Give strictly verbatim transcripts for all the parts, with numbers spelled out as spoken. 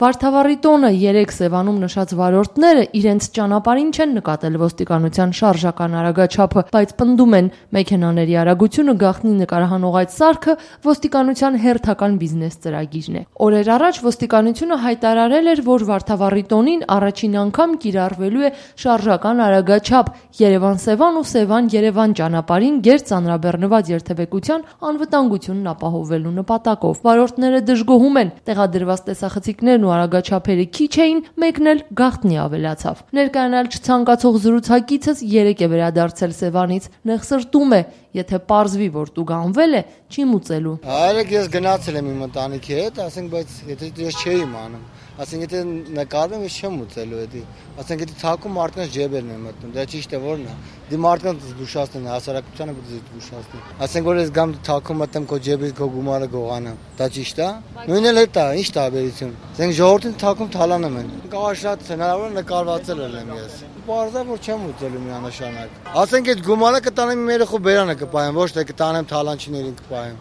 Վարդավառի տոնը երեք Սևանում նշած վարորդները իրենց ճանապարհին չեն նկատել ոստիկանության շարժական արագաչափը, բայց պնդում են մեքենաների արագությունը գաղտնի նկարահանող այդ սարքը ոստիկանության հերթական բիզնես ծրագիրն է։ Օրեր առաջ ոստիկանությունը հայտարարել էր, որ Վարդավառի տոնին առաջին անգամ կիրառվելու է շարժական արագաչափ Երևան-Սևան ու Սևան-Երևան ճանապարհին գերծանրաբեռնված երթևեկության անվտանգությունն ապահովելու նպատակով։ Վարորդները դժգոհում են, տեղադրված տեսախցիկներն ու արագաչափերը քիչ էին, մեկն էլ գաղտնի ավելացավ։ Ներկայանալ չցանկացող զրուցակիցս երեք է վերադարձել Սևանից, նեղսրտում է, եթե պարզվի, որ տուգանվել է, չի մուծելու։ Արեք ես գնացել եմ իմ ընտանիքի հետ, ասենք, բայց եթե ես չէի իմանում, ասենք եթե նկարվում ես չեմ մուծելու էդի, ասենք եթե թակում մարդկանց ջեբերն են մտնում, դա ճիշտ է որն է։ Դի մարդկանց զգուշացնեն, հասարակությանը պետք է զգուշացնեն։ Ասենք որ ես գամ թակում մտեմ քո ջեբից քո գումարը գողանամ, դա ճիշտ է։ Նույնն էլ է դա, ի՞նչ տարբերություն։ Ասենք ժողովրդին թակում թալանում են։ Կարող շատ հնարավոր նկարվածել եմ ես։ Պարզա որ չեմ ուծելու միանշանակ։ Ասենք այդ գումարը կտանեմ իմ երեխու բերանը կպայեմ, ոչ թե կտանեմ թալանչիներին կպայեմ։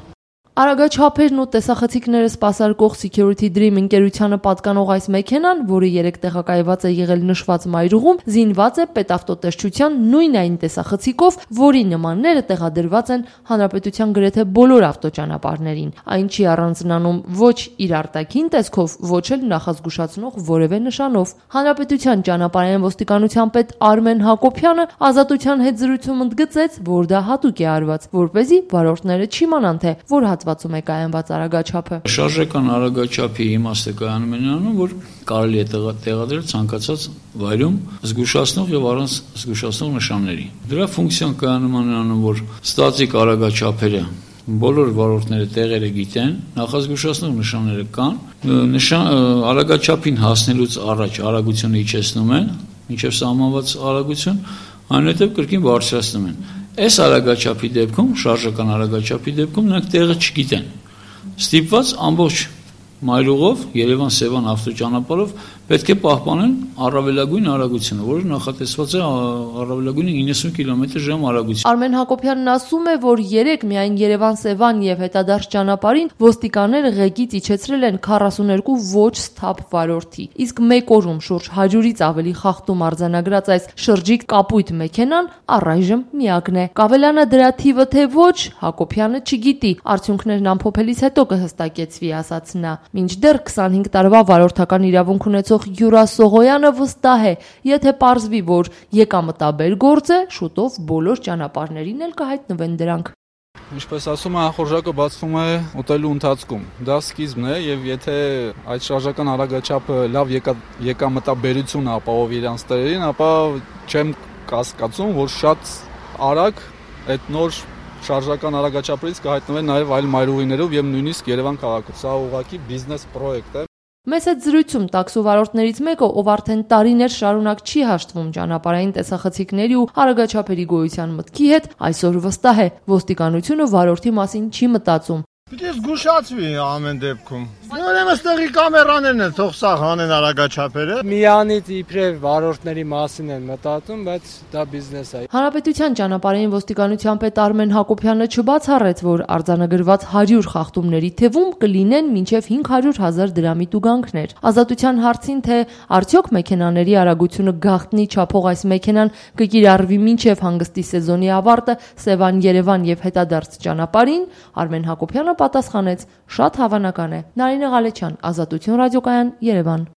Արագաչափերն ու տեսախցիկները սպասարկող Security Dream ընկերությանը պատկանող այս մեքենան, որը երեք տեղակայված է եղել նշված մայրուղում, զինված է պետավտոտեսչության նույն այն տեսախցիկով, որի նմանները տեղադրված են հանրապետության գրեթե բոլոր ավտոճանապարհներին։ Այն չի առանձնանում ոչ իր արտաքին տեսքով, ոչ էլ նախազգուշացնող որևէ նշանով։ Հանրապետության ճանապարհային ոստիկանության պետ Արմեն Հակոբյանը Ազատության հետ զրույցում ընդգծեց, որ դա հատուկ է արված, որպեսզի վարորդները չիմանան, թե որ հատվածում է կայանված արագաչափը։ Շարժական արագաչափի իմաստը կայանում է նրանում, որ կարելի է տեղադրել ցանկացած վայրում զգուշացնող եւ առանց զգուշացնող նշանների։ Դրա ֆունկցիան կայանում է նրանում, որ ստատիկ արագաչափերը բոլոր վարորդները տեղերը գիտեն, նախազգուշացնող նշանները կան, նշան արագաչափին հասնելուց առաջ արագությունը իջեցնում են, մինչև սահմանված արագություն, այնուհետև կրկին բարձրացնում են։ Այս արագաչափի դեպքում, շարժական արագաչափի դեպքում նրանք տեղը չգիտեն։ Ստիպված ամբողջ մայրուղով Երևան-Սևան ավտոճանապարհով պետք է պահպանեն առավելագույն արագությունը, որը նախատեսված է առավելագույնը իննսուն կիլոմետր ժամ արագություն։ Արմեն Հակոբյանն ասում է, որ երեք միայն Երևան-Սևան եւ հետադարձ ճանապարհին ոստիկանները ղեկից իջեցրել են քառասուներկու ոչ սթափ վարորդի, իսկ մեկ օրում շուրջ հարյուրից ավելի խախտում արձանագրած այս շրջիկ կապույտ մեքենան առայժմ միակն է։ Կավելանը դրա թիվը թե ոչ, Հակոբյանը չգիտի, արդյունքներն ամփոփելիս հետո կհստակեցվի, ասաց նա։ Մինչդեռ քսանհինգ տարվա վարորդական իրավունք ունեցող Յուրա Սողոյանը վստահ է, եթե պարզվի, որ եկամտաբեր գործ է, շուտով բոլոր ճանապարհներին էլ կհայտնվեն դրանք։ Ինչպես ասում է, խորժակը բացվում է ուտելու ընթացքում։ Դա սկիզբն է եւ եթե այդ շարժական արագաչափը լավ եկա, եկամտաբերություն ապահովի իրանց տերերին, ապա չեմ կասկածում, որ շատ արագ այդ նոր շարժական արագաչափերից կհայտնվեն նաև այլ մայրուղիներով եւ նույնիսկ Երևան քաղաքում։ Սա ուղղակի բիզնես պրոյեկտ է։ Մեծ այդ զրույցում տաքսու վարորդներից մեկը, ով արդեն տարիներ շարունակ չի հաշտվում ճանապարհային տեսախցիկների ու արագաչափերի գոյության մտքի հետ, այսօր վստահ է, ոստիկանությունը վարորդի մասին չի մտածում։ Պետք է զգուշացվի ամեն դեպքում։ Ուրեմն ստեղի կամերաներն են, թող սա հանեն արագաչափերը։ Միանից իբրև վարորդների մասին են մտածում, բայց դա բիզնես է։ Հանրապետության ճանապարհային ոստիկանության պետ Արմեն Հակոբյանը չբացառեց, որ արձանագրված հարյուր խախտումների թվում կլինեն մինչև հինգ հարյուր հազար դրամի տուգանքներ։ Ազատության հարցին, թե արդյոք մեքենաների արագությունը գաղտնի չափող այս մեքենան կկիրառվի մինչև հանգստի սեզոնի ավարտը Սևան-Երևան եւ հետադարձ ճանապարհին, Արմեն Հակոբյանը պատասխանեց. շատ հավանական է։ Նարինե Ղալեչյան, Ազատություն ռադիոկայան, Երևան։